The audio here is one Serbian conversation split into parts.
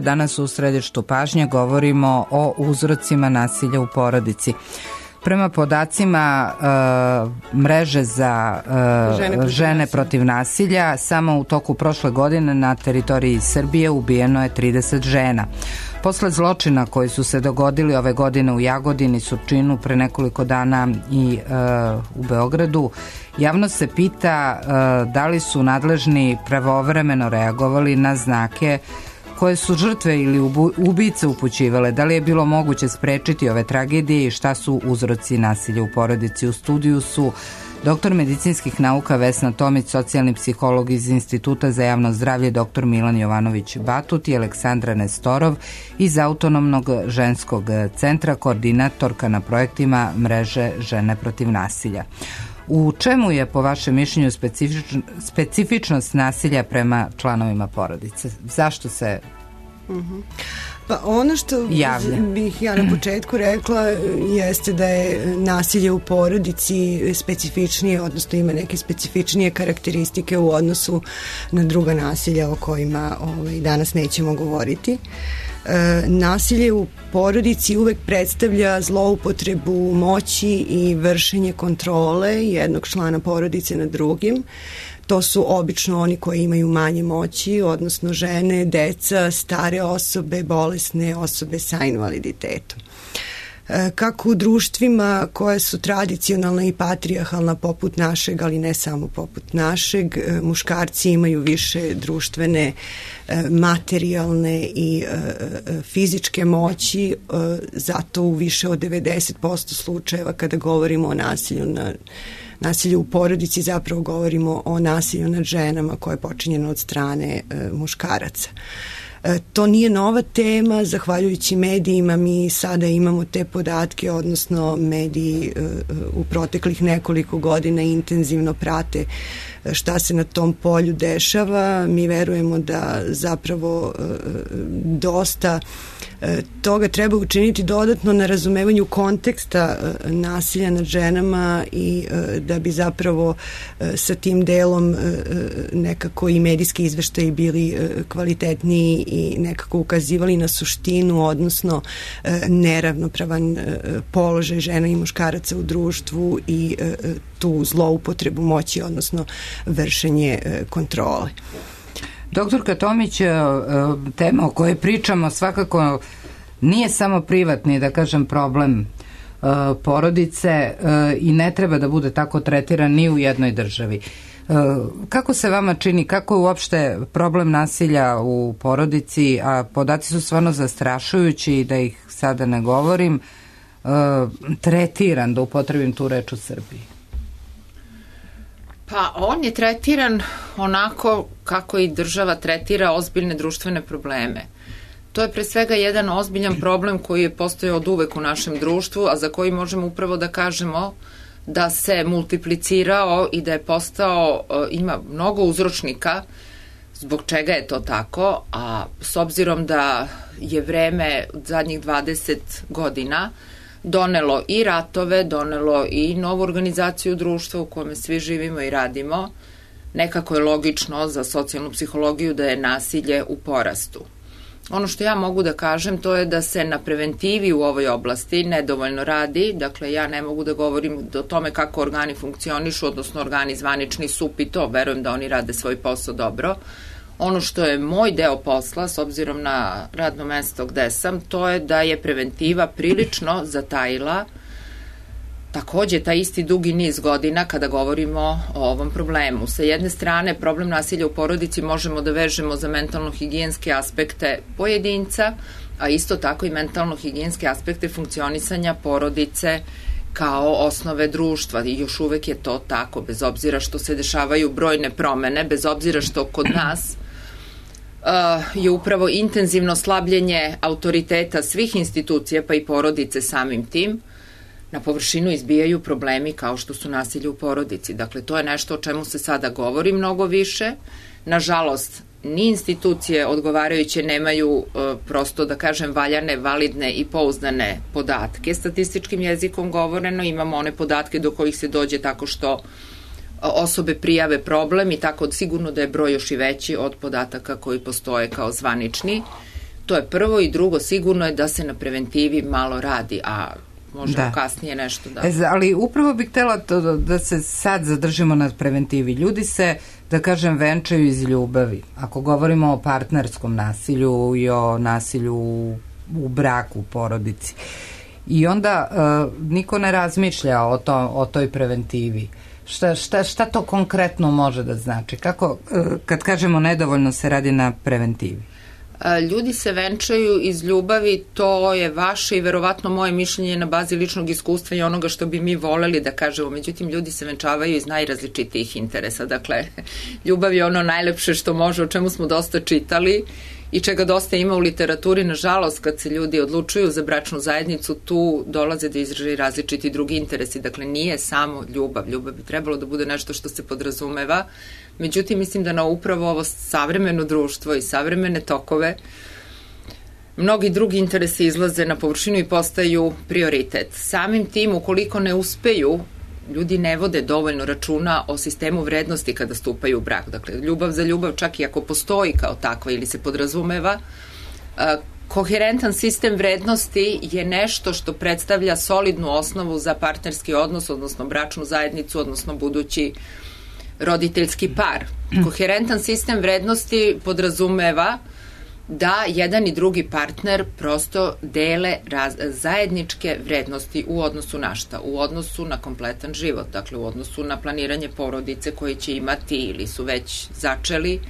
Danas u središtu pažnje govorimo o uzrocima nasilja u porodici. Prema podacima mreže za žene protiv nasilja, samo u toku prošle godine na teritoriji Srbije ubijeno je 30 žena. Posle zločina koji su se dogodili ove godine u Jagodini, Surčinu, pre nekoliko dana i u Beogradu, javnost se pita da li su nadležni pravovremeno reagovali na znake koje su žrtve ili ubice upućivale, da li je bilo moguće sprečiti ove tragedije i šta su uzroci nasilja u porodici. U studiju su doktor medicinskih nauka Vesna Tomić, socijalni psiholog iz Instituta za javno zdravlje dr. Milan Jovanović Batut i Aleksandra Nestorov iz Autonomnog ženskog centra, koordinatorka na projektima mreže Žene protiv nasilja. U čemu je po vašem mišljenju specifičnost nasilja prema članovima porodice? Zašto se Pa ono što bih ja na početku rekla jeste da je nasilje u porodici specifičnije, odnosno ima neke specifičnije karakteristike u odnosu na druga nasilja o kojima danas nećemo govoriti. Nasilje u porodici uvek predstavlja zloupotrebu moći i vršenje kontrole jednog člana porodice nad drugim. To su obično oni koji imaju manje moći, odnosno žene, deca, stare osobe, bolesne osobe sa invaliditetom. Kako u društvima koje su tradicionalna i patrijarhalna poput našeg, ali ne samo poput našeg, muškarci imaju više društvene, materijalne i fizičke moći, zato u više od 90% slučajeva kada govorimo o nasilju u porodici zapravo govorimo o nasilju nad ženama koje je počinjeno od strane muškaraca. To nije nova tema, zahvaljujući medijima mi sada imamo te podatke, odnosno mediji u proteklih nekoliko godina intenzivno prate šta se na tom polju dešava. Mi verujemo da zapravo dosta toga treba učiniti dodatno na razumevanju konteksta nasilja nad ženama i da bi zapravo sa tim delom nekako i medijski izveštaji bili kvalitetniji i nekako ukazivali na suštinu, odnosno neravnopravan položaj žena i muškaraca u društvu i tu zloupotrebu moći, odnosno vršenje kontrole. Doktorka Tomić, tema o kojoj pričamo svakako nije samo privatni, da kažem, problem porodice i ne treba da bude tako tretiran ni u jednoj državi. Kako se vama čini, kako je uopšte problem nasilja u porodici, a podaci su stvarno zastrašujući, da ih sada ne govorim, tretiran, da upotrebim tu reč, u Srbiji? Pa on je tretiran onako kako i država tretira ozbiljne društvene probleme. To je pre svega jedan ozbiljan problem koji je postojao od uvek u našem društvu, a za koji možemo upravo da kažemo da se multiplicirao i da je postao, ima mnogo uzročnika zbog čega je to tako, a s obzirom da je vreme zadnjih 20 godina donelo i ratove, donelo i novu organizaciju društva u kome svi živimo i radimo, nekako je logično za socijalnu psihologiju da je nasilje u porastu. Ono što ja mogu da kažem to je da se na preventivi u ovoj oblasti nedovoljno radi, dakle ja ne mogu da govorim o tome kako organi funkcionišu, odnosno organi zvanični SUP i to, verujem da oni rade svoj posao dobro. Ono što je moj deo posla, s obzirom na radno mesto gde sam, to je da je preventiva prilično zatajila takođe taj isti dugi niz godina kada govorimo o ovom problemu. Sa jedne strane, problem nasilja u porodici možemo da vežemo za mentalno-higijenske aspekte pojedinca, a isto tako i mentalno-higijenske aspekte funkcionisanja porodice kao osnove društva i još uvek je to tako, bez obzira što se dešavaju brojne promene, bez obzira što kod nas je upravo intenzivno slabljenje autoriteta svih institucija, pa i porodice samim tim, na površinu izbijaju problemi kao što su nasilje u porodici. Dakle, to je nešto o čemu se sada govori mnogo više. Nažalost, ni institucije odgovarajuće nemaju prosto, da kažem, valjane, validne i pouzdane podatke. Statističkim jezikom govoreno, imamo one podatke do kojih se dođe tako što osobe prijave problem i tako sigurno da je broj još i veći od podataka koji postoje kao zvanični. To je prvo i drugo, sigurno je da se na preventivi malo radi, a možemo kasnije nešto da... Ali upravo bih htela da se sad zadržimo na preventivi. Ljudi se, da kažem, venčaju iz ljubavi. Ako govorimo o partnerskom nasilju i o nasilju u braku, u porodici. I onda niko ne razmišlja o toj preventivi. Šta to konkretno može da znači? Kako, kad kažemo nedovoljno se radi na preventivi? Ljudi se venčaju iz ljubavi, to je vaše i verovatno moje mišljenje na bazi ličnog iskustva i onoga što bi mi voleli da kažemo. Međutim, ljudi se venčavaju iz najrazličitijih interesa. Dakle, ljubav je ono najlepše što može, o čemu smo dosta čitali i čega dosta ima u literaturi. Nažalost, kad se ljudi odlučuju za bračnu zajednicu, tu dolaze do izražaja različiti drugi interesi. Dakle, nije samo ljubav. Ljubav bi trebalo da bude nešto što se podrazumeva. Međutim, mislim da na upravo ovo savremeno društvo i savremene tokove mnogi drugi interesi izlaze na površinu i postaju prioritet. Samim tim, ukoliko ne uspeju, ljudi ne vode dovoljno računa o sistemu vrednosti kada stupaju u brak. Dakle, ljubav za ljubav, čak i ako postoji kao takva ili se podrazumeva, koherentan sistem vrednosti je nešto što predstavlja solidnu osnovu za partnerski odnos, odnosno bračnu zajednicu, odnosno budući roditeljski par. Koherentan sistem vrednosti podrazumeva da jedan i drugi partner prosto dele zajedničke vrednosti u odnosu na šta? U odnosu na kompletan život, dakle u odnosu na planiranje porodice koje će imati ili su već začeli,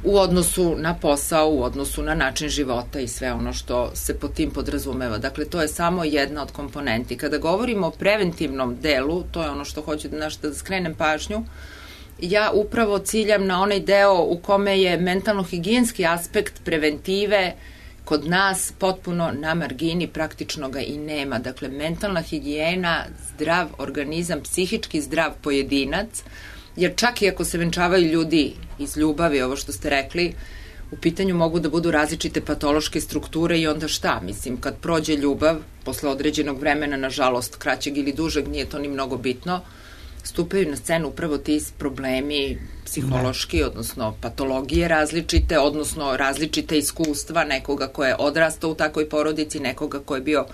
u odnosu na posao, u odnosu na način života i sve ono što se pod tim podrazumeva. Dakle, to je samo jedna od komponenti. Kada govorimo o preventivnom delu, to je ono što hoću da skrenem pažnju, ja upravo ciljam na onaj deo u kome je mentalno-higijenski aspekt preventive kod nas potpuno na margini, praktično ga i nema. Dakle, mentalna higijena, zdrav organizam, psihički zdrav pojedinac, jer čak i ako se venčavaju ljudi iz ljubavi, ovo što ste rekli, u pitanju mogu da budu različite patološke strukture i onda šta? Mislim, kad prođe ljubav, posle određenog vremena, nažalost, kraćeg ili dužeg, nije to ni mnogo bitno, stupaju na scenu upravo ti problemi psihološki, odnosno patologije različite, odnosno različite iskustva nekoga ko je odrastao u takvoj porodici, nekoga ko je bio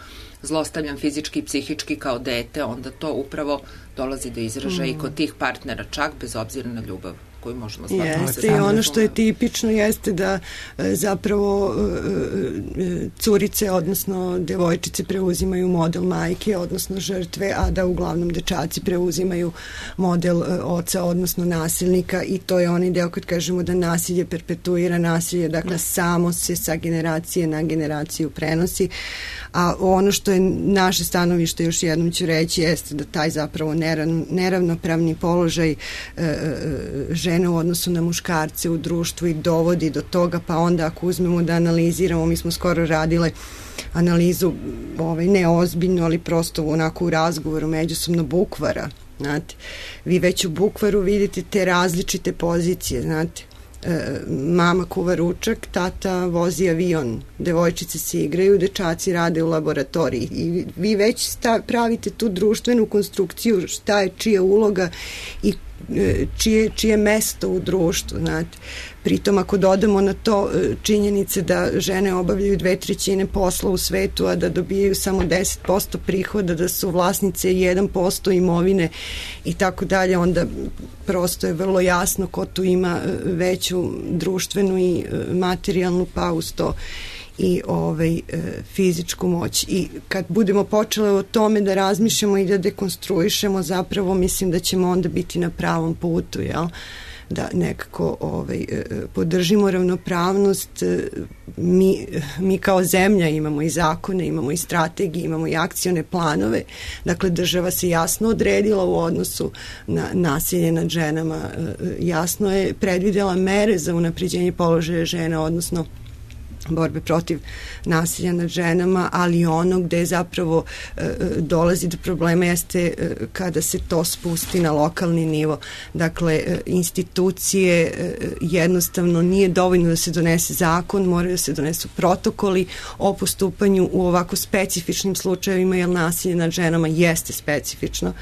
zlostavljan fizički i psihički kao dete, onda to upravo dolazi do izražaja i kod tih partnera, čak bez obzira na ljubav koju možemo smatrati. Jeste, i ono što je tipično jeste da zapravo curice, odnosno devojčice preuzimaju model majke, odnosno žrtve, a da uglavnom dečaci preuzimaju model oca, odnosno nasilnika, i to je onaj deo kad kažemo da nasilje perpetuira nasilje, dakle samo se sa generacije na generaciju prenosi, a ono što je naše stanovište, još jednom ću reći, jeste da taj zapravo neravnopravni položaj žene u odnosu na muškarce u društvu i dovodi do toga, pa onda ako uzmemo da analiziramo, mi smo skoro radile analizu, ne ozbiljno, ali prosto onako u razgovoru međusobno bukvara, znate. Vi već u bukvaru vidite te različite pozicije, znate. Mama kuva ručak, tata vozi avion, devojčice se igraju, dečaci rade u laboratoriji i vi već pravite tu društvenu konstrukciju šta je čija uloga i čije mesto u društvu, znate. Pritom ako dodamo na to činjenice da žene obavljaju 2/3 posla u svetu, a da dobijaju samo 10% prihoda, da su vlasnice 1% imovine i tako dalje, onda prosto je vrlo jasno ko tu ima veću društvenu i materijalnu, pa uz to i fizičku moć. I kad budemo počele o tome da razmišljamo i da dekonstruišemo, zapravo mislim da ćemo onda biti na pravom putu, jel? Da nekako podržimo ravnopravnost. Mi kao zemlja imamo i zakone, imamo i strategije, imamo i akcione planove. Dakle, država se jasno odredila u odnosu na nasilje nad ženama. Jasno je predvidela mere za unapređenje položaja žena, odnosno borbe protiv nasilja nad ženama, ali ono gde zapravo dolazi do problema jeste kada se to spusti na lokalni nivo. Dakle, institucije jednostavno nije dovoljno da se donese zakon, moraju da se donesu protokoli o postupanju u ovako specifičnim slučajevima, jer nasilje nad ženama jeste specifično.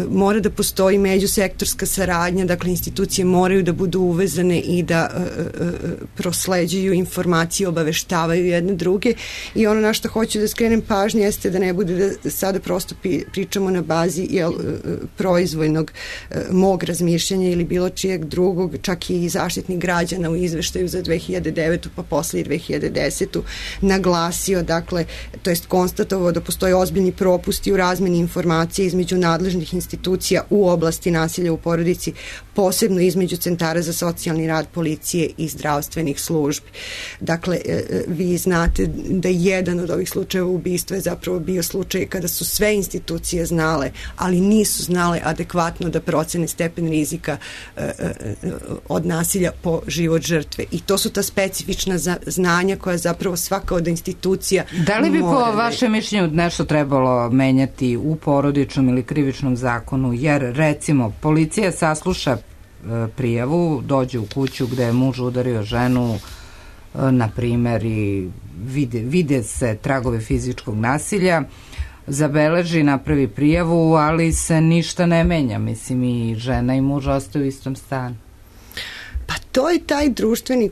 mora da postoji međusektorska saradnja, dakle institucije moraju da budu uvezane i da prosleđuju informacije, obaveštavaju jedne druge, i ono na što hoću da skrenem pažnju jeste da ne bude da sada prosto pričamo na bazi proizvoljnog mog razmišljanja ili bilo čijeg drugog, čak i Zaštitnik građana u izveštaju za 2009. pa posle i 2010. naglasio, dakle, to jest konstatovao da postoje ozbiljni propusti u razmeni informacija između nadležnih institucija u oblasti nasilja u porodici, posebno između centara za socijalni rad, policije i zdravstvenih službi. Dakle, vi znate da jedan od ovih slučajeva ubistva je zapravo bio slučaj kada su sve institucije znale, ali nisu znale adekvatno da procene stepen rizika od nasilja po život žrtve. I to su ta specifična znanja koja zapravo svaka od institucija Da li bi po vašem mišljenju nešto trebalo menjati u porodičnom ili krivičnom zakonu, jer recimo policija sasluša prijavu, dođe u kuću gde je muž udario ženu, na primer, i vide se tragove fizičkog nasilja, zabeleži, napravi prijavu, ali se ništa ne menja. Mislim, i žena i muž ostaju u istom stanu. Pa to je taj društveni...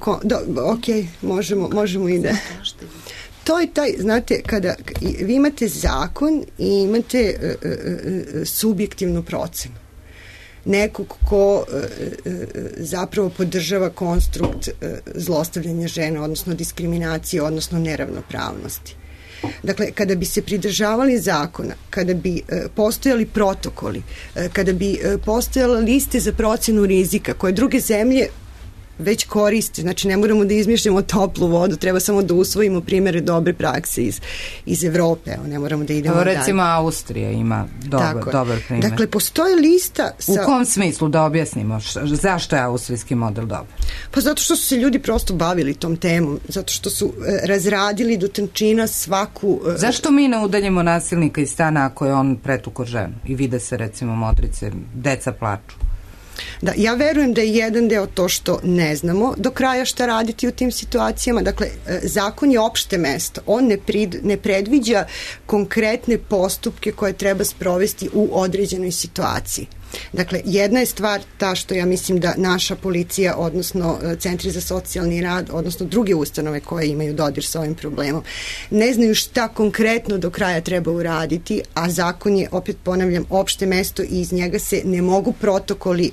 možemo i da... To je taj, znate, kada vi imate zakon i imate subjektivnu procenu. Nekog ko zapravo podržava konstrukt zlostavljanja žena, odnosno diskriminacije, odnosno neravnopravnosti. Dakle, kada bi se pridržavali zakona, kada bi postojali protokoli, kada bi postojale liste za procenu rizika koje druge zemlje već koriste, znači ne moramo da izmišljamo toplu vodu, treba samo da usvojimo primere dobre prakse iz Evrope, ne moramo da idemo dalje. Recimo Austrija ima dobar primjer. Dakle, postoji lista U kom smislu, da objasnimo, zašto je austrijski model dobar? Pa zato što su se ljudi prosto bavili tom temom, zato što su razradili do tančina svaku... Zašto mi ne udaljimo nasilnika iz stana ako je on pretukao ženu i vide se recimo modrice, deca plaču? Da, ja verujem da je jedan deo to što ne znamo do kraja šta raditi u tim situacijama. Dakle, zakon je opšte mesto. On ne predviđa konkretne postupke koje treba sprovesti u određenoj situaciji. Dakle, jedna je stvar ta što ja mislim da naša policija, odnosno centri za socijalni rad, odnosno druge ustanove koje imaju dodir sa ovim problemom, ne znaju šta konkretno do kraja treba uraditi, a zakon je, opet ponavljam, opšte mesto i iz njega se ne mogu protokoli,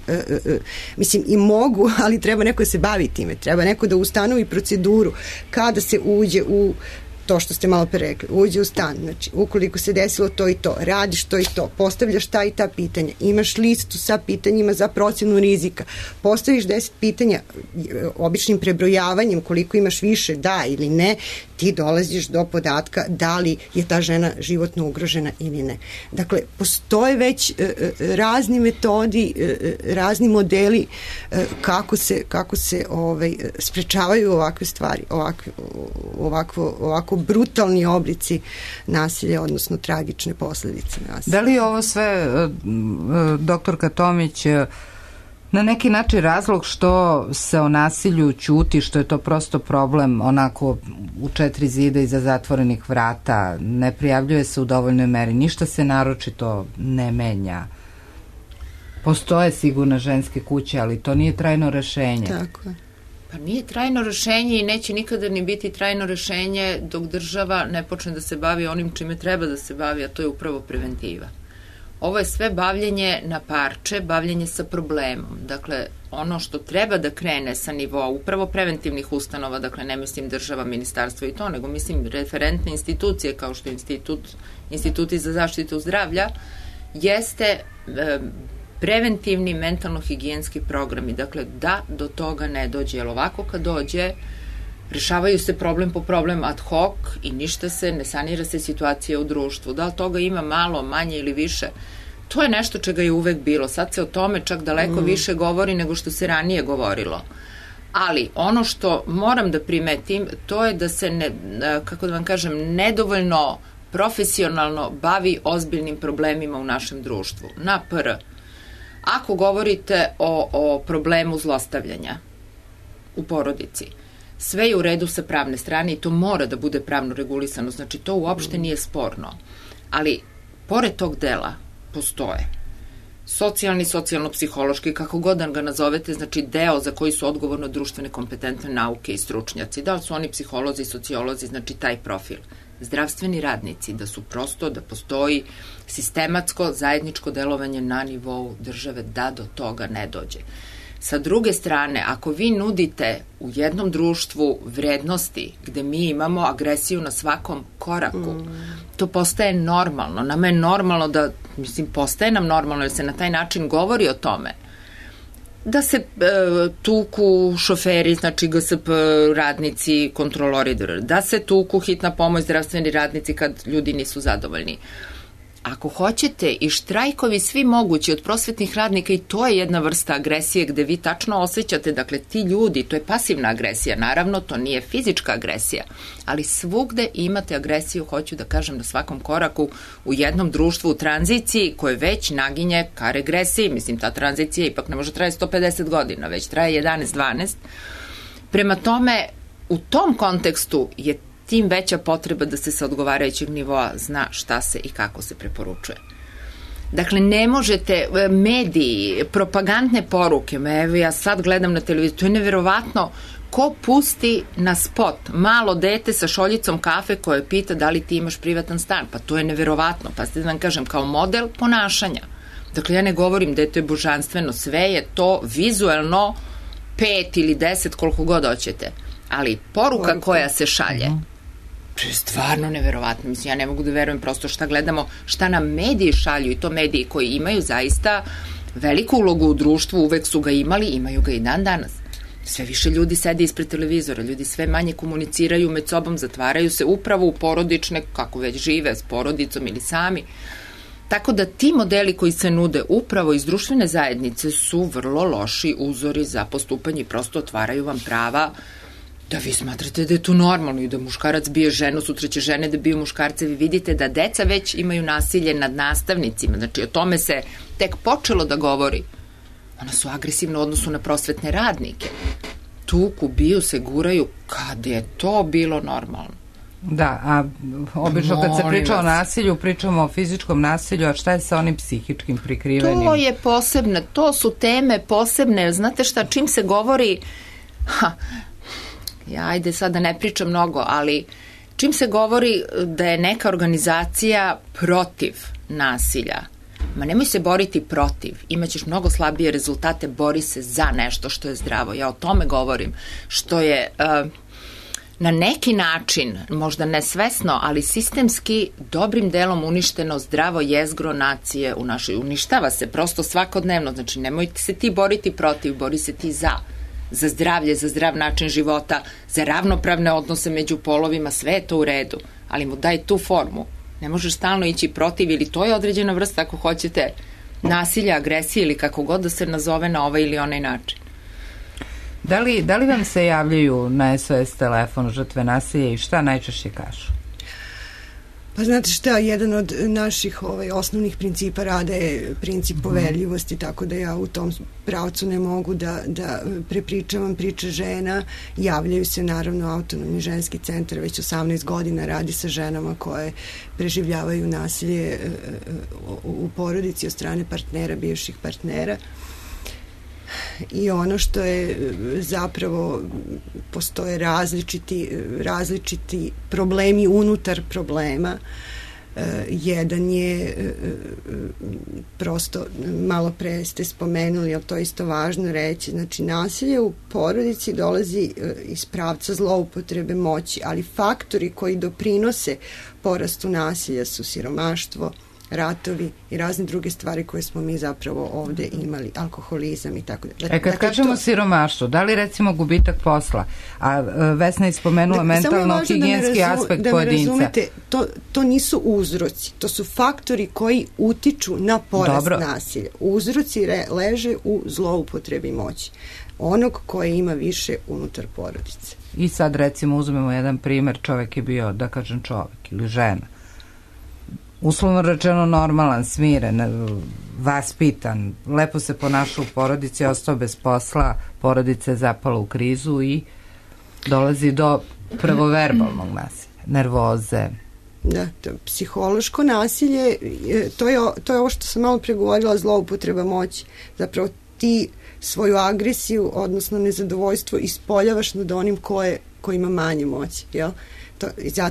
mislim i mogu, ali treba neko da se bavi time, treba neko da ustanovi proceduru kada se uđe u to što ste malo pre rekli, uđe u stan, znači ukoliko se desilo to i to, radiš to i to, postavljaš ta i ta pitanja, imaš listu sa pitanjima za procenu rizika, postaviš 10 pitanja običnim prebrojavanjem, koliko imaš više, da ili ne, ti dolaziš do podatka da li je ta žena životno ugrožena ili ne. Dakle, postoje već razni metodi, razni modeli kako se sprečavaju ovakve stvari, ovako brutalni oblici nasilja, odnosno tragične posledice nasilja. Da li je ovo sve, doktorka Tomić, na neki način razlog što se o nasilju ćuti, što je to prosto problem onako u 4 zida iza zatvorenih vrata, ne prijavljuje se u dovoljnoj meri, ništa se naročito ne menja. Postoje sigurno ženske kuće, ali to nije trajno rešenje. Tako je. Pa nije trajno rešenje i neće nikada ni biti trajno rešenje dok država ne počne da se bavi onim čime treba da se bavi, a to je upravo preventiva. Ovo je sve bavljenje na parče, bavljenje sa problemom. Dakle, ono što treba da krene sa nivoa upravo preventivnih ustanova, dakle ne mislim država, ministarstvo i to, nego mislim referentne institucije kao što je instituti za zaštitu zdravlja, jeste preventivni mentalno-higijenski programi. Dakle, da do toga ne dođe, jer ovako kad dođe, rešavaju se problem po problem ad hoc i ništa se, ne sanira se situacija u društvu. Da li toga ima malo, manje ili više? To je nešto čega je uvek bilo. Sad se o tome čak daleko više govori nego što se ranije govorilo. Ali ono što moram da primetim, to je da se, kako da vam kažem, nedovoljno profesionalno bavi ozbiljnim problemima u našem društvu. Na pr. Ako govorite o problemu zlostavljanja u porodici, sve je u redu sa pravne strane i to mora da bude pravno regulisano, znači to uopšte nije sporno. Ali, pored tog dela, postoje. Socijalni, socijalno-psihološki, kako god da ga nazovete, znači deo za koji su odgovorno društvene kompetentne nauke i stručnjaci. Da li su oni psiholozi, sociolozi, znači taj profil. Zdravstveni radnici, da su prosto, da postoji sistematsko zajedničko delovanje na nivou države da do toga ne dođe. Sa druge strane, ako vi nudite u jednom društvu vrednosti gde mi imamo agresiju na svakom koraku, to postaje normalno. Nama je normalno da, postaje nam normalno jer se na taj način govori o tome da se tuku šoferi, znači GSP radnici, kontrolori, da se tuku hitna pomoć, zdravstveni radnici kad ljudi nisu zadovoljni. Ako hoćete i štrajkovi svi mogući od prosvetnih radnika, i to je jedna vrsta agresije gde vi tačno osjećate, dakle ti ljudi, to je pasivna agresija, naravno to nije fizička agresija, ali svugde imate agresiju, hoću da kažem, na svakom koraku u jednom društvu u tranziciji koje već naginje ka regresiji, ta tranzicija ipak ne može traje 150 godina, već traje 11-12. Prema tome, u tom kontekstu je tim veća potreba da se sa odgovarajućeg nivoa zna šta se i kako se preporučuje. Dakle, ne možete, mediji, propagandne poruke, evo ja sad gledam na televiziju, to je neverovatno, ko pusti na spot malo dete sa šoljicom kafe koje pita da li ti imaš privatan stan, pa to je neverovatno, pa ste da vam kažem, kao model ponašanja. Dakle, ja ne govorim da je to božanstveno, sve je to vizuelno 5 ili 10, koliko god hoćete, ali poruka koja se šalje, to je stvarno neverovatno. Ja ne mogu da verujem prosto šta gledamo, šta nam mediji šalju, i to mediji koji imaju zaista veliku ulogu u društvu, uvek su ga imali, imaju ga i dan danas. Sve više ljudi sede ispred televizora, ljudi sve manje komuniciraju med sobom, zatvaraju se upravo u porodične, kako već žive, s porodicom ili sami. Tako da ti modeli koji se nude upravo iz društvene zajednice su vrlo loši uzori za postupanje i prosto otvaraju vam prava da vi smatrate da je to normalno i da muškarac bije ženu, sutra će žene da biju muškarce. Vi vidite da deca već imaju nasilje nad nastavnicima, znači o tome se tek počelo da govori. Ona su agresivne u odnosu na prosvetne radnike. Tuku, biju se, guraju, kad je to bilo normalno. Da, a obično kad se priča o nasilju, pričamo o fizičkom nasilju, a šta je sa onim psihičkim prikrivenim? To je posebno, to su teme posebne, znate šta, čim se govori, ajde sad da ne pričam mnogo, ali čim se govori da je neka organizacija protiv nasilja, ma nemoj se boriti protiv, imaćeš mnogo slabije rezultate, bori se za nešto što je zdravo. Ja o tome govorim, što je na neki način, možda nesvesno, ali sistemski dobrim delom uništeno zdravo jezgro nacije u našoj. Uništava se prosto svakodnevno, znači nemojte se ti boriti protiv, bori se ti za zdravlje, za zdrav način života, za ravnopravne odnose među polovima, sve je to u redu, ali mu daj tu formu. Ne možeš stalno ići protiv, ili to je određena vrsta, ako hoćete, nasilja, agresije ili kako god da se nazove na ovaj ili onaj način. Da li vam se javljaju na SOS telefon žrtve nasilja i šta najčešće kažu? Pa znate šta, jedan od naših osnovnih principa rada je princip poverljivosti, tako da ja u tom pravcu ne mogu da prepričavam priče žena. Javljaju se naravno Autonomni ženski centar, već 18 godina radi sa ženama koje preživljavaju nasilje u porodici od strane partnera, bivših partnera. I ono što je zapravo, postoje različiti problemi unutar problema. Jedan je, prosto malo pre ste spomenuli, ali to je isto važno reći, znači nasilje u porodici dolazi iz pravca zloupotrebe moći, ali faktori koji doprinose porastu nasilja su siromaštvo, ratovi i razne druge stvari koje smo mi zapravo ovde imali, alkoholizam i tako da. Kad kažemo siromaštvo, da li recimo gubitak posla, a Vesna je spomenula mentalno-higijenski aspekt pojedinca. Da me razumete, to nisu uzroci, to su faktori koji utiču na porast nasilja. Uzroci leže u zloupotrebi moći onog koji ima više unutar porodice. I sad recimo uzmemo jedan primer, čovek je bio, da kažem čovek ili žena, uslovno rečeno normalan, smiren, vaspitan, lepo se ponašao u porodici, ostao bez posla, porodica je zapala u krizu i dolazi do prvo verbalnog nasilja, nervoze, Da, psihološko nasilje, to je ovo što sam malo pregovorila, zloupotreba moći. Zapravo ti svoju agresiju, odnosno nezadovoljstvo ispoljavaš nad onim ko ima manje moći, jel?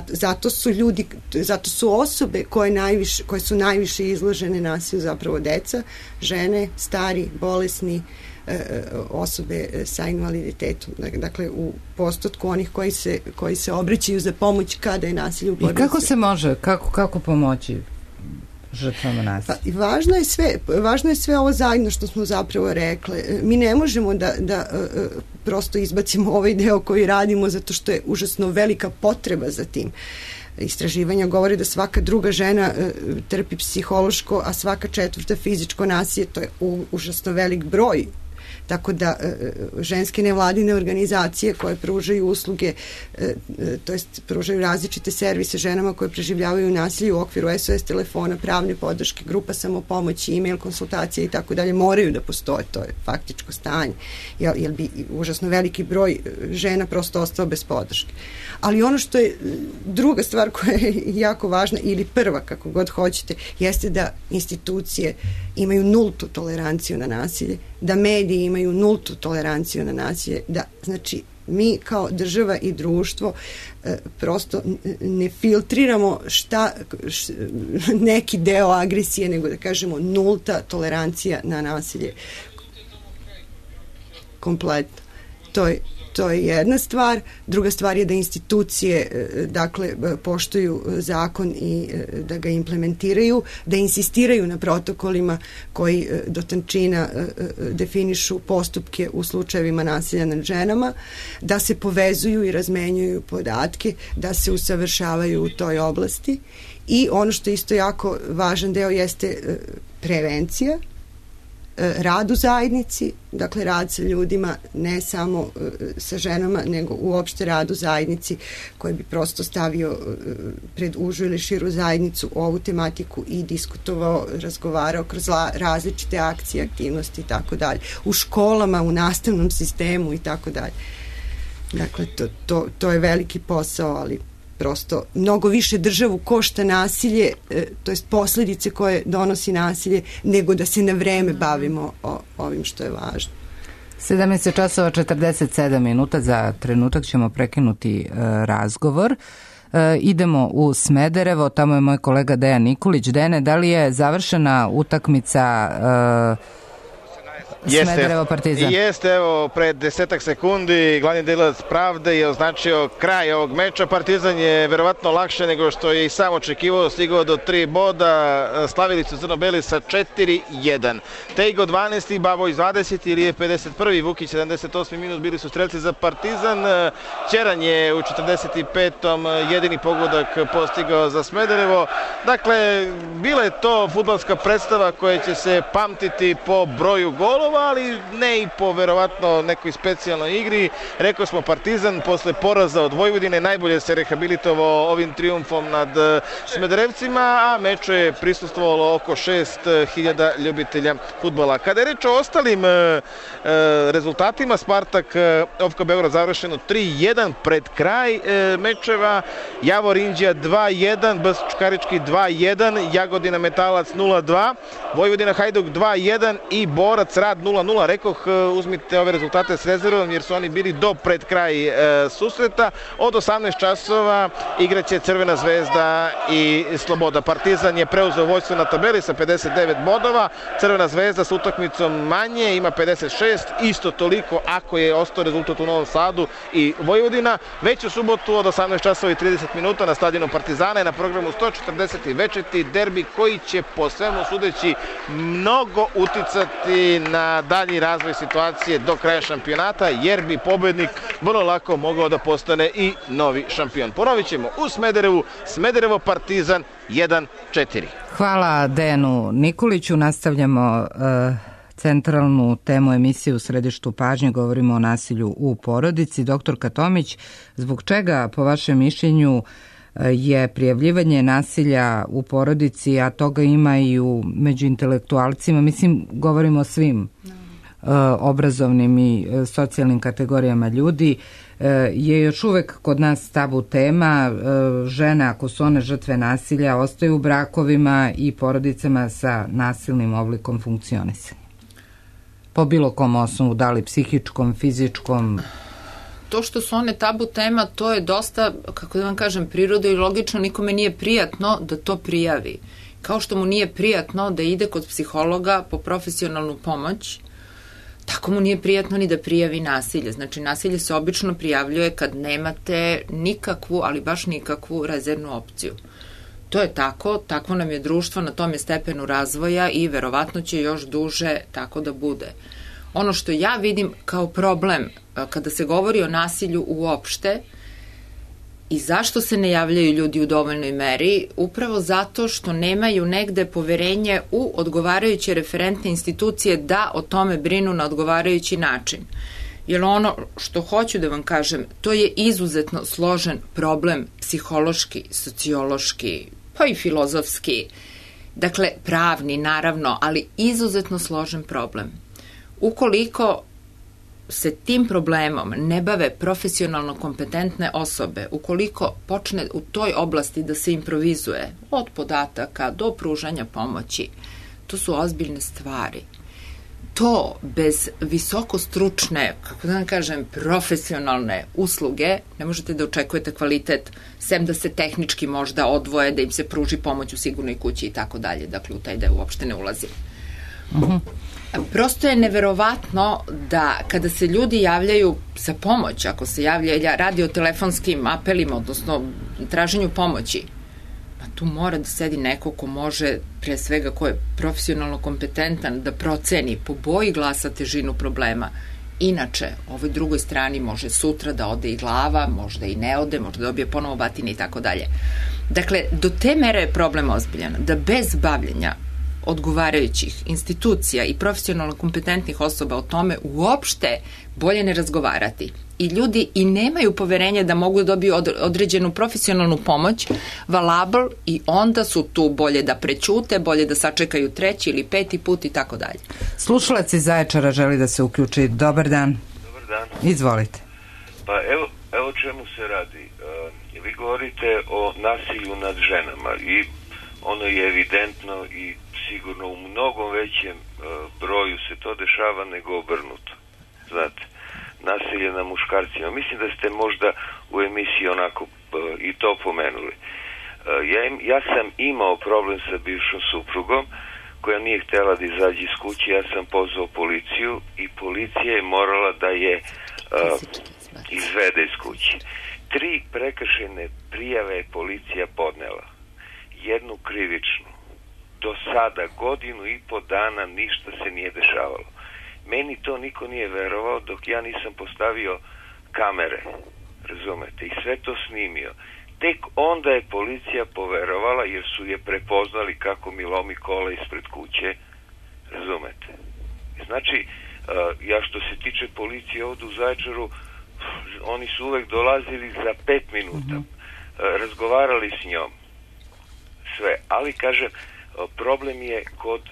Zato su ljudi, zato su osobe koje su najviše izložene nasilju zapravo deca, žene, stari, bolesni, osobe sa invaliditetom. Dakle, u postotku onih koji se obraćaju za pomoć kada je nasilje u porodici. I kako se može, kako pomoći žrtvama nasilja? Pa, važno je sve ovo zajedno što smo zapravo rekli. Mi ne možemo da prosto izbacimo ovaj deo koji radimo zato što je užasno velika potreba za tim. Istraživanja govore da svaka druga žena trpi psihološko, a svaka četvrta fizičko nasilje. To je užasno velik broj. Tako da ženske nevladine organizacije koje pružaju usluge, to jest pružaju različite servise ženama koje preživljavaju nasilje u okviru SOS telefona, pravne podrške, grupa samopomoći, e-mail konsultacije i tako dalje, moraju da postoje, to je faktičko stanje, jer bi užasno veliki broj žena prosto ostao bez podrške. Ali ono što je druga stvar koja je jako važna, ili prva, kako god hoćete, jeste da institucije imaju nultu toleranciju na nasilje, da mediji imaju nultu toleranciju na nasilje, da, znači, mi kao država i društvo prosto ne filtriramo neki deo agresije, nego da kažemo nulta tolerancija na nasilje kompletno. To je jedna stvar. Druga stvar je da institucije dakle poštuju zakon i da ga implementiraju, da insistiraju na protokolima koji do tančina definišu postupke u slučajevima nasilja nad ženama, da se povezuju i razmenjuju podatke, da se usavršavaju u toj oblasti. I ono što je isto jako važan deo jeste prevencija, rad u zajednici, dakle rad sa ljudima, ne samo sa ženama, nego uopšte rad u zajednici koji bi prosto stavio pred užu ili širu zajednicu ovu tematiku i diskutovao, razgovarao kroz različite akcije, aktivnosti i tako dalje. U školama, u nastavnom sistemu i tako dalje. Dakle, to je veliki posao, ali prosto mnogo više državu košta nasilje, to jest posljedice koje donosi nasilje, nego da se na vreme bavimo ovim što je važno. 17 časova 47 minuta, za trenutak ćemo prekinuti razgovor. Idemo u Smederevo, tamo je moj kolega Dejan Nikolić. Dene, da li je završena utakmica Smederevo Partizan? Jeste, evo, pred 10 sekundi glavni delilac Pravde je označio kraj ovog meča. Partizan je verovatno lakše nego što je i sam očekivao, stigao do 3 boda, slavili su crno-beli sa 4-1. Tejgo 12. Baboj 20. ili je 51. Vukić 78. minut, bili su strelci za Partizan. Ćeran je u 45. jedini pogodak postigao za Smederevo. Dakle, bila je to fudbalska predstava koja će se pamtiti po broju golova, ali ne i po verovatno nekoj specijalnoj igri. Rekao smo, Partizan posle poraza od Vojvodine najbolje se rehabilitovao ovim trijumfom nad Smederevcima, a meču je prisustvovalo oko 6.000 ljubitelja fudbala. Kada je reč o ostalim rezultatima, Spartak OFK Beograd završeno 3-1 pred kraj mečeva, Javor Inđija 2-1, BS Čukarički 2-1, Jagodina Metalac 0-2, Vojvodina Hajduk 2-1 i Borac Rad 0-0. Rekoh, uzmite ove rezultate s rezervom jer su oni bili do pred kraj susreta. Od 18 časova igraće Crvena zvezda i Sloboda. Partizan je preuzeo vođstvo na tabeli sa 59 bodova. Crvena zvezda s utakmicom manje ima 56, isto toliko ako je ostao rezultat u Novom Sadu i Vojvodina. Već u subotu od 18 časova i 30 minuta na stadionu Partizana je na programu 140. večeti derbi koji će po svemu sudeći mnogo uticati na dalji razvoj situacije do kraja šampionata, jer bi pobednik vrlo lako mogao da postane i novi šampion. Ponovit ćemo u Smederevu, Smederevo Partizan 1-4. Hvala Dejanu Nikoliću. Nastavljamo centralnu temu emisije U središtu pažnje. Govorimo o nasilju u porodici. Doktorka Tomić, zbog čega po vašem mišljenju je prijavljivanje nasilja u porodici, a toga ima i među intelektualcima, mislim, govorimo o svim obrazovnim i socijalnim kategorijama ljudi, je još uvek kod nas tabu tema. Žene, ako su one žrtve nasilja, ostaju u brakovima i porodicama sa nasilnim oblikom funkcionisanja. Po bilo kom osnovu, da li psihičkom, fizičkom? To što su one tabu tema, to je dosta, kako da vam kažem, prirodno i logično, nikome nije prijatno da to prijavi. Kao što mu nije prijatno da ide kod psihologa po profesionalnu pomoć, tako mu nije prijatno ni da prijavi nasilje. Znači, nasilje se obično prijavljuje kad nemate nikakvu, ali baš nikakvu rezervnu opciju. To je tako, takvo nam je društvo, na tom je stepenu razvoja i verovatno će još duže tako da bude. Ono što ja vidim kao problem kada se govori o nasilju uopšte i zašto se ne javljaju ljudi u dovoljnoj meri, upravo zato što nemaju negde poverenje u odgovarajuće referentne institucije da o tome brinu na odgovarajući način. Jer ono što hoću da vam kažem, to je izuzetno složen problem psihološki, sociološki, pa i filozofski, dakle pravni naravno, ali izuzetno složen problem. Ukoliko se tim problemom ne bave profesionalno kompetentne osobe, ukoliko počne u toj oblasti da se improvizuje od podataka do pružanja pomoći, to su ozbiljne stvari. To bez visoko stručne, kako da vam kažem, profesionalne usluge ne možete da očekujete kvalitet, sem da se tehnički možda odvoje, da im se pruži pomoć u sigurnoj kući i tako dalje. Dakle, u taj deo uopšte ne ulazim. Prosto je neverovatno da kada se ljudi javljaju za pomoć, ako se javlja radi o telefonskim apelima, odnosno traženju pomoći, tu mora da sedi neko ko može, pre svega ko je profesionalno kompetentan, da proceni po boji glasa težinu problema. Inače, ovoj drugoj strani može sutra da ode i glava, možda i ne ode, možda dobije ponovo batine i tako dalje. Dakle, do te mere je problem ozbiljan, da bez bavljenja odgovarajućih institucija i profesionalno kompetentnih osoba o tome uopšte bolje ne razgovarati. I ljudi i nemaju poverenje da mogu da dobiju određenu profesionalnu pomoć, valabl, i onda su tu bolje da prećute, bolje da sačekaju 3. ili 5. put i tako dalje. Slušalac iz Zaječara želi da se uključi. Dobar dan. Dobar dan. Izvolite. Pa evo čemu se radi. Vi govorite o nasilju nad ženama i ono je evidentno i sigurno u mnogo većem broju se to dešava nego obrnuto. Znate, nasilje na muškarcima. Mislim da ste možda u emisiji onako i to pomenuli. Ja sam imao problem sa bivšom suprugom koja nije htjela da izađe iz kuće. Ja sam pozvao policiju i policija je morala da je izvede iz kuće. 3 prekršajne prijave je policija podnela. Jednu krivičnu. Do sada 1.5 godina ništa se nije dešavalo. Meni to niko nije verovao dok ja nisam postavio kamere, razumete, i sve to snimio. Tek onda je policija poverovala jer su je prepoznali kako mi lomi kola ispred kuće, razumete. Znači, ja što se tiče policije ovdje u Zaječaru, oni su uvek dolazili za 5 minuta, razgovarali s njom, sve, ali kažem, problem je kod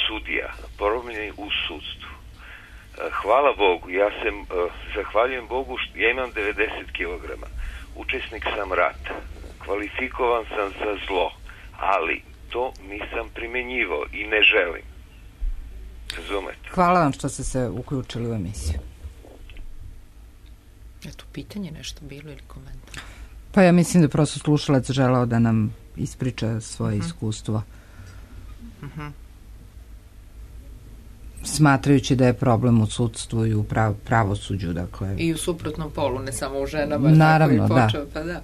sudija, problem je u sudstvu. Hvala Bogu, ja sam, zahvaljujem Bogu, ja imam 90 kg, učesnik sam rata, kvalifikovan sam za zlo, ali to nisam primenjivao i ne želim. Razumete? Hvala vam što ste se uključili u emisiju. Je tu pitanje nešto bilo ili komentar? Pa ja mislim da prosto slušalac želao da nam ispriča svoje iskustvo. Smatrajući da je problem u sudstvu i u pravosuđu, dakle. I u suprotnom polu, ne samo u ženama. Naravno, da. Pa da.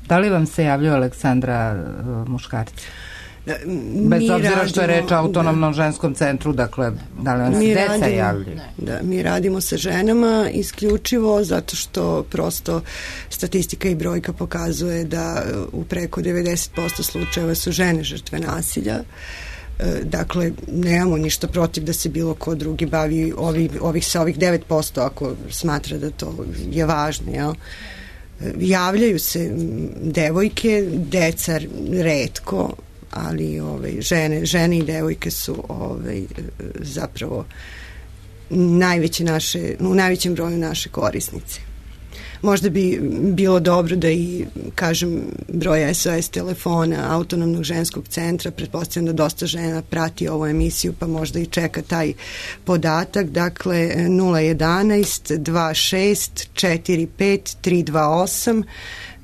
Da li vam se javljaju, Aleksandra, muškarci? Bez obzira što je reč o autonomnom ženskom centru, dakle, da li vam se deca javljaju? Da, mi radimo sa ženama isključivo zato što prosto statistika i brojka pokazuje da u preko 90% slučajeva su žene žrtve nasilja. Dakle, nemamo ništa protiv da se bilo ko drugi bavi sa ovih 9% ako smatra da to je važno, jel? Javljaju se devojke, deca retko, ali žene i devojke su zapravo u najvećem broju naše korisnice. Možda bi bilo dobro da i, kažem, broj SOS telefona Autonomnog ženskog centra, pretpostavljam da dosta žena prati ovu emisiju, pa možda i čeka taj podatak. Dakle, 011 26 45 328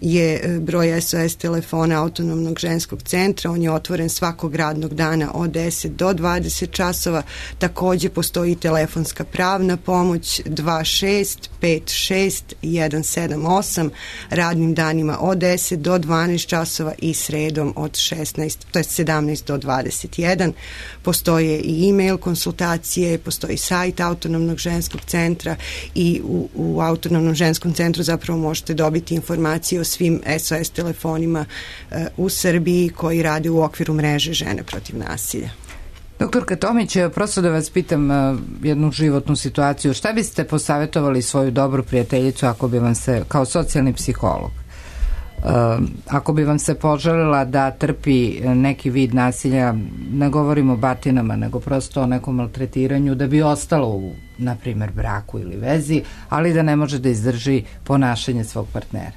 je broj SOS telefona Autonomnog ženskog centra. On je otvoren svakog radnog dana od 10 do 20 časova. Takođe postoji telefonska pravna pomoć 26 56 178 radnim danima od 10 do 12 časova i sredom od 17 do 21. Postoje i e-mail konsultacije, postoji sajt Autonomnog ženskog centra i u Autonomnom ženskom centru zapravo možete dobiti informacije o svim SOS telefonima u Srbiji koji rade u okviru mreže Žene protiv nasilja. Doktorka Tomić, prosto da vas pitam jednu životnu situaciju. Šta biste posavjetovali svoju dobru prijateljicu ako bi vam se, kao socijalni psiholog, ako bi vam se poželjela da trpi neki vid nasilja, ne govorimo o batinama, nego prosto o nekom maltretiranju, da bi ostalo u, na primjer, braku ili vezi, ali da ne može da izdrži ponašanje svog partnera?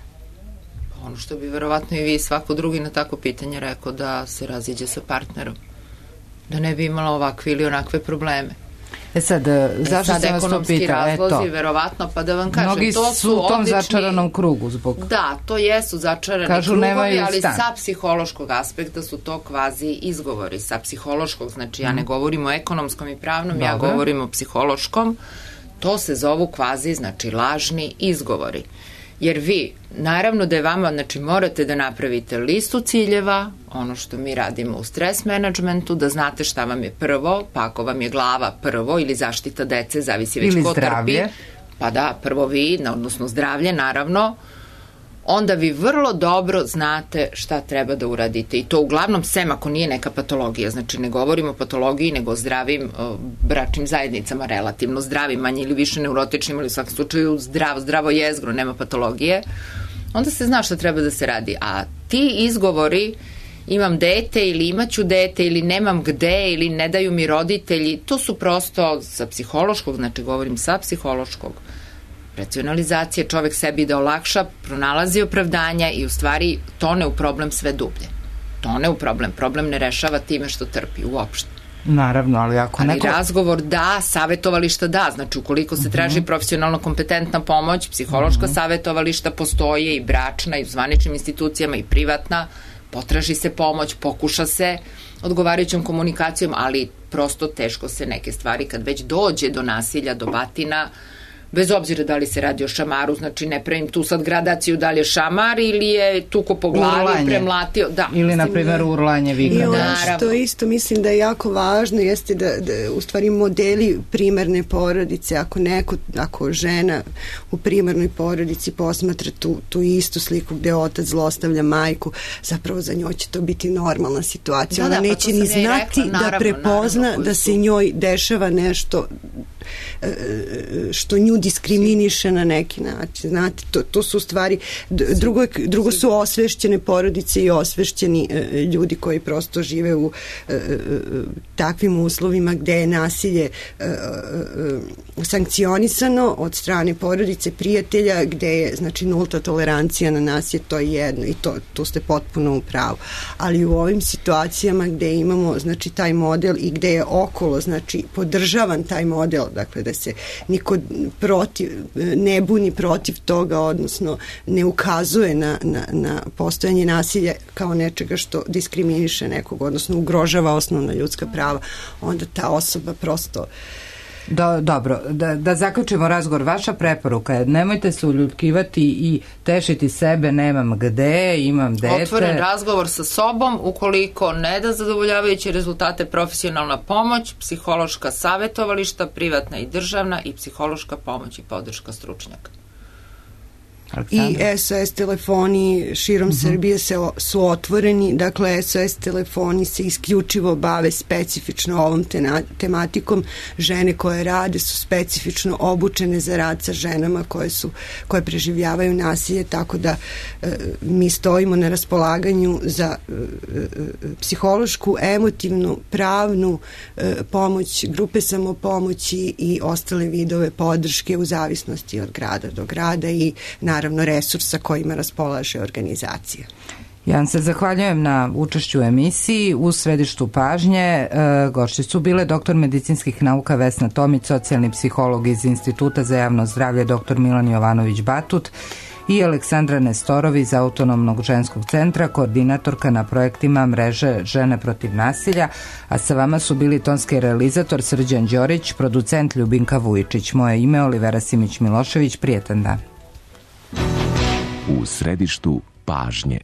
Ono što bi verovatno i vi svako drugi na tako pitanje rekao, da se raziđe sa partnerom, da ne bi imala ovakve ili onakve probleme. Sad, zašto sam vas to pitala? Razlozi, verovatno, pa da vam kažem, mnogi to su u tom začaranom krugu zbog... Da, to jesu začarani krugovi, ali sa psihološkog aspekta su to kvazi izgovori. Sa psihološkog, znači ja ne govorim o ekonomskom i pravnom, ja govorim o psihološkom, to se zovu kvazi, znači lažni izgovori. Jer vi, naravno da je vama, znači morate da napravite listu ciljeva, ono što mi radimo u stres menadžmentu, da znate šta vam je prvo, pa ako vam je glava prvo ili zaštita dece, zavisi već ko trpi. Pa da, prvo vi, odnosno zdravlje, naravno, onda vi vrlo dobro znate šta treba da uradite. I to uglavnom sem ako nije neka patologija. Znači ne govorimo o patologiji, nego o zdravim bračnim zajednicama, relativno zdravim, manje ili više neurotičnim, ili u svakom slučaju zdravo jezgro, nema patologije. Onda se zna šta treba da se radi. A ti izgovori, imam dete ili imaću dete ili nemam gde ili ne daju mi roditelji, to su prosto sa psihološkog, znači govorim sa psihološkog, racionalizacije, čovek sebi da olakša, pronalazi opravdanja i u stvari tone u problem sve dublje. Tone u problem. Problem ne rešava time što trpi uopšte. Naravno, ali ako neko... Ali razgovor da, savetovališta da, znači ukoliko se traži profesionalno kompetentna pomoć, psihološka savetovališta postoje i bračna i u zvaničnim institucijama i privatna, potraži se pomoć, pokuša se odgovarajućom komunikacijom, ali prosto teško se neke stvari kad već dođe do nasilja, do batina, bez obzira da li se radi o šamaru, znači ne pravim tu sad gradaciju da li je šamar ili je tuko po glavi, premlatio. Da, ili na primjer urlanje vikanja. I ono što isto mislim da je jako važno jeste da u stvari modeli primarne porodice, ako žena u primarnoj porodici posmatra tu istu sliku gde otac zlostavlja majku, zapravo za njoj će to biti normalna situacija. Ona neće ni znati da prepozna da se njoj dešava nešto što nju diskriminiše na neki način. Znate, to su stvari, drugo su osvešćene porodice i osvešćeni ljudi koji prosto žive u takvim uslovima gde je nasilje sankcionisano od strane porodice, prijatelja, gde je znači nulta tolerancija na nasilje, to je jedno i tu ste potpuno u pravu. Ali u ovim situacijama gde imamo znači taj model i gde je okolo znači podržavan taj model, dakle da se niko ne buni protiv toga, odnosno ne ukazuje na postojanje nasilja kao nečega što diskriminiše nekog, odnosno ugrožava osnovna ljudska prava, onda ta osoba prosto... Dobro, da zaključimo razgovor. Vaša preporuka je nemojte se uljudkivati i tešiti sebe, nemam gde, imam dete. Otvoren razgovor sa sobom, ukoliko ne da zadovoljavajuće rezultate, profesionalna pomoć, psihološka savetovališta, privatna i državna i psihološka pomoć i podrška stručnjaka. I SOS telefoni širom Srbije su otvoreni, dakle SOS telefoni se isključivo bave specifično ovom tematikom. Žene koje rade su specifično obučene za rad sa ženama koje preživljavaju nasilje, tako da mi stojimo na raspolaganju za psihološku, emotivnu, pravnu pomoć, grupe samopomoći i ostale vidove podrške u zavisnosti od grada do grada i naravno resursa kojima raspolaže organizacija. Ja vam se zahvaljujem na učešću u emisiji. U središtu pažnje gošće su bile doktor medicinskih nauka Vesna Tomić, socijalni psiholog iz Instituta za javno zdravlje dr. Milan Jovanović-Batut i Aleksandra Nestorović iz Autonomnog ženskog centra, koordinatorka na projektima mreže Žene protiv nasilja, a sa vama su bili tonski realizator Srđan Đorić, producent Ljubinka Vujičić. Moje ime Olivera Simić-Milošević, prijetan dan. U središtu pažnje.